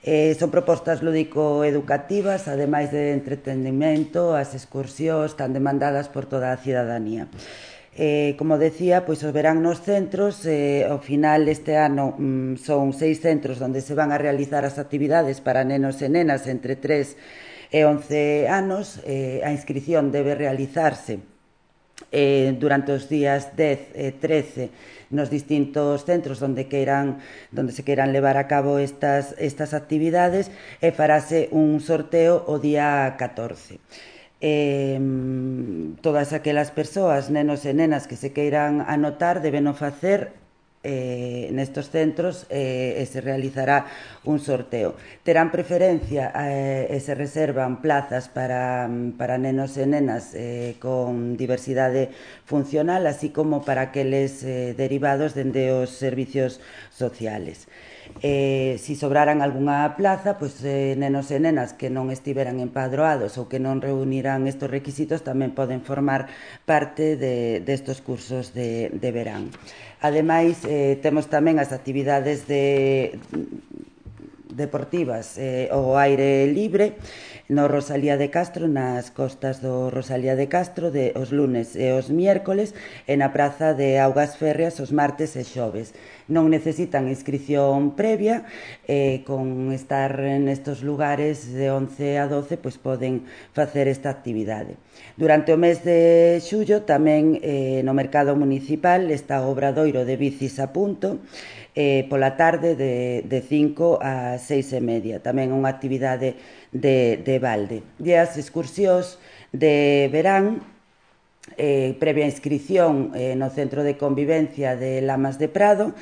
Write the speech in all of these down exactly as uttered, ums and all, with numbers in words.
Eh, son propostas lúdico-educativas, ademais de entretenimento, as excursións están demandadas por toda a cidadanía. Eh, como decía, pois os verán nos centros, eh, ao final este ano mm, son seis centros onde se van a realizar as actividades para nenos e nenas entre tres e once anos. Eh, a inscrición debe realizarse eh, durante os días dez e trece nos distintos centros onde queiran onde se queiran levar a cabo estas, estas actividades, e farase un sorteo o día catorce. Eh, todas aquelas persoas, nenos e nenas que se queiran anotar, deben o facer eh, nestos centros eh, e se realizará un sorteo. Terán preferencia eh, e se reservan plazas para, para nenos e nenas eh, con diversidade funcional, así como para aqueles eh, derivados dende os servicios sociales. Eh, si sobraran algunha plaza, pois eh, nenos e nenas que non estiveran empadroados ou que non reunirán estes requisitos tamén poden formar parte de, destos cursos de, de verán. Ademais, eh, temos tamén as actividades de deportivas eh, ao aire libre no Rosalía de Castro, nas costas do Rosalía de Castro, de os lunes e os miércoles, e na praza de Augas Férreas os martes e xoves. Non necesitan inscrición previa, eh, con estar nestos lugares de once a doce, pois poden facer esta actividade. Durante o mes de xullo tamén eh, no mercado municipal está o obradoiro de bicis a punto, eh, pola tarde de, de cinco a seis e media, tamén unha actividade de, de balde. E as excursións de verán, eh, previa inscrición eh, no Centro de Convivencia de Lamas de Prado,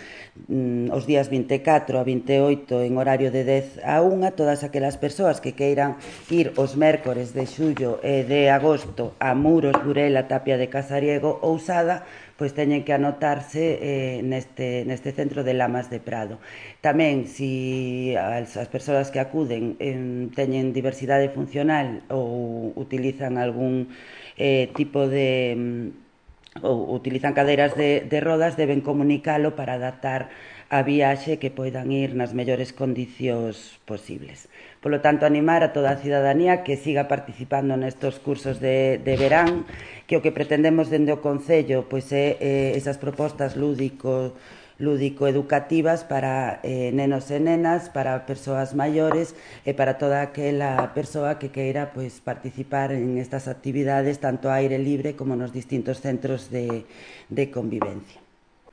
mm, os días vinte e catro a vinte e oito en horario de dez a unha, todas aquelas persoas que queiran ir os mércores de xullo e de agosto a Muros, Burela, Tapia de Casariego ou Sada, pois teñen que anotarse eh, neste, neste centro de Lamas de Prado. Tamén, se as, as persoas que acuden eh, teñen diversidade funcional ou utilizan algún eh, tipo de ou utilizan cadeiras de, de rodas, deben comunicalo para adaptar a viaxe que poidan ir nas mellores condicións posibles. Polo tanto, animar a toda a cidadanía que siga participando nestos cursos de, de verán, que o que pretendemos dende o Concello pois é eh, esas propostas lúdico lúdico-educativas para eh, nenos e nenas, para persoas maiores e para toda aquela persoa que queira pois, participar en estas actividades tanto ao aire libre como nos distintos centros de, de convivencia.